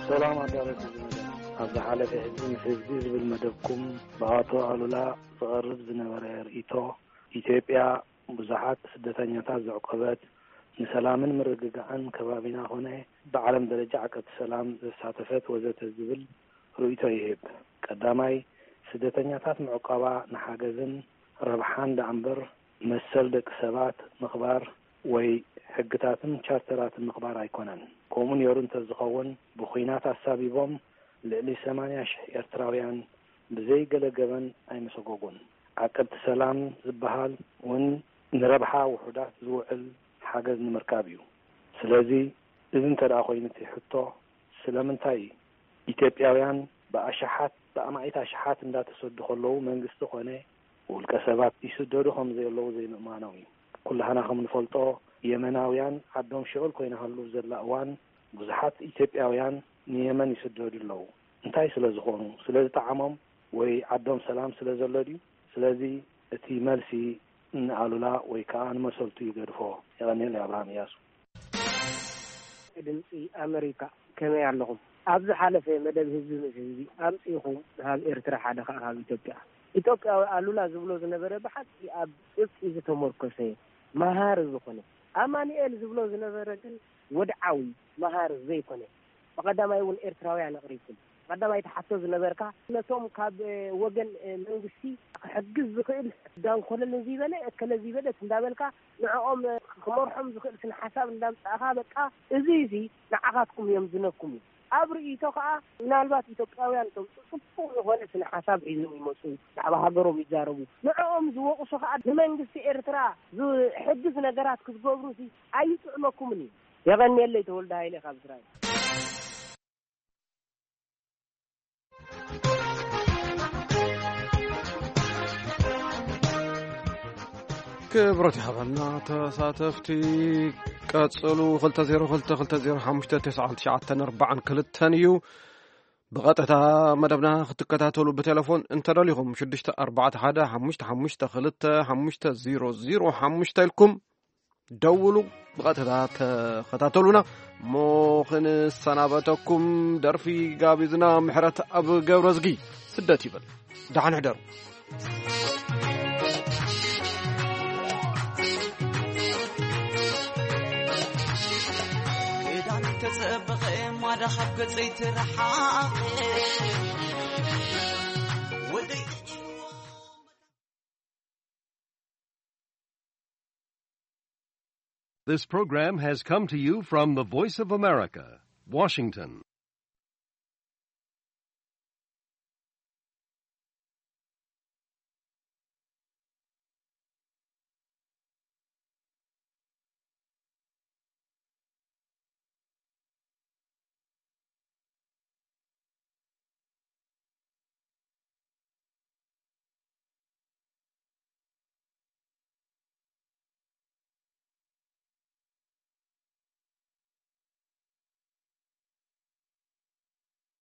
ሰላም ኣዳለቲ ዝመደ ኣብ ዝሓለፈ ህዝቢ ምስ ህዝቢ ዝብል መደብኩም ብኣቶ ኣሉላ ዝቐርብ ዝነበረ ርእይቶ ኢትዮጵያ ብዙሓት ስደተኛታት ዘዕቆበት፣ ንሰላምን ምርግጋዕን ከባቢና ኮነ ብዓለም ደረጃ ዓቀብቲ ሰላም ዘሳተፈት ወዘተ ዝብል ርእይቶ ይህብ። ቀዳማይ፣ ስደተኛታት ምዕቋባ ንሓገዝን ረብሓን ደኣምበር መሰል ደቂ ሰባት ምኽባር ወይ ሕግታትን ቻርተራትን ምኽባር ኣይኮነን። ከምኡ ነይሩ እንተዝኸውን ብኹናት ኣሳቢቦም ልዕሊ ሰማንያ ሽሕ ኤርትራውያን ብዘይ ገለ ገበን ኣይምሰጎጉን። ዓቀብቲ ሰላም ዝበሃል እውን ንረብሓ ውሑዳት ዝውዕል ሓገዝ ንምርካብ እዩ። ስለዚ እዚ እንተ ደኣ ኮይኑ እቲ ሕቶ ስለምንታይ ኢትዮጵያውያን ብኣሽሓት ብኣማኢት ኣሽሓት እንዳተሰዱ ከለዉ መንግስቲ ኮነ ውልቀ ሰባት ይስደዱ ከም ዘለዉ ዘይምእማኖም እዩ። ኩላህና ከም ንፈልጦ የመናውያን ዓዶም ሽዑል ኮይና ሃሉ ዘላ እዋን ብዙሓት ኢትዮጵያውያን ንየመን ይስደዱ ኣለዉ። እንታይ ስለ ዝኾኑ? ስለ ዝጠዓሞም ወይ ዓዶም ሰላም ስለ ዘሎ ድዩ? ስለዚ እቲ መልሲ ንኣሉላ ወይ ከዓ ንመሰልቱ ይገድፎ። የቐንየለይ ኣብርሃም እያሱ። ድምፂ ኣመሪካ ከመይ ኣለኹም? ኣብ ዝሓለፈ መደብ ህዝቢ ምስ ህዝቢ ኣምፂእኹም ንሃብ ኤርትራ ሓደ ከዓ ካብ ኢትዮጵያ ኢትዮጵያዊ ኣሉላ ዝብሎ ዝነበረ ብሓቂ ኣብ ጭብጢ ዝተመርኮሰ መሃሪ ዝኾነ ኣማኑኤል ዝብሎ ዝነበረ ግን ወድዓዊ መሃሪ ዘይኮነ ብቐዳማይ እውን ኤርትራውያን ኣቕሪብኩም ቀዳማይ ትሓቶ ዝነበርካ ነቶም ካብ ወገን መንግስቲ ክሕግዝ ዝኽእል ዳንኮለል ንዝይበለ እከለ ዝይበለት እንዳበልካ ንዕኦም ክመርሖም ዝኽእል ስነ ሓሳብ እንዳምጻእኻ በቃ እዚ እዚ ንዓኻትኩም እዮም ዝነኩም እዩ ኣብ ርእይቶ ከዓ ምናልባት ኢትዮጵያውያን ቶም ጽፉፍ ዝኾነ ስነ ሓሳብ ሒዞም ይመፁ ብዛዕባ ሃገሮም ይዛረቡ ንዕኦም ዝወቕሱ ከዓ ንመንግስቲ ኤርትራ ዝሕግዝ ነገራት ክትገብሩ ሲ ኣይጥዕመኩምን እዩ የቐንየለይ ተወልደ ሃይለ ካብ እስራኤል ክብረት ይሃበልና ተሳተፍቲ ቀጽሉ ክልተ ዜሮ ክልተ ክልተ ዜሮ ሓሙሽተ ተስዓን ትሽዓተን ኣርባዓን ክልተን እዩ ብቐጥታ መደብና ክትከታተሉ ብቴሌፎን እንተደሊኹም ሽዱሽተ ኣርባዕተ ሓደ ሓሙሽተ ሓሙሽተ ክልተ ሓሙሽተ ዜሮ ዜሮ ሓሙሽተ ኢልኩም ደውሉ ብቐጥታ ተኸታተሉና እሞ ክንሰናበተኩም ደርፊ ጋቢዝና ምሕረት ኣብ ገብረዝጊ ስደት ይብል ደሓን ሕደሩ ክዳን ተጸበቐ ማዳ ካብ ገጸይ ትረሓቐ ወደይ This program has come to you from the Voice of America, Washington.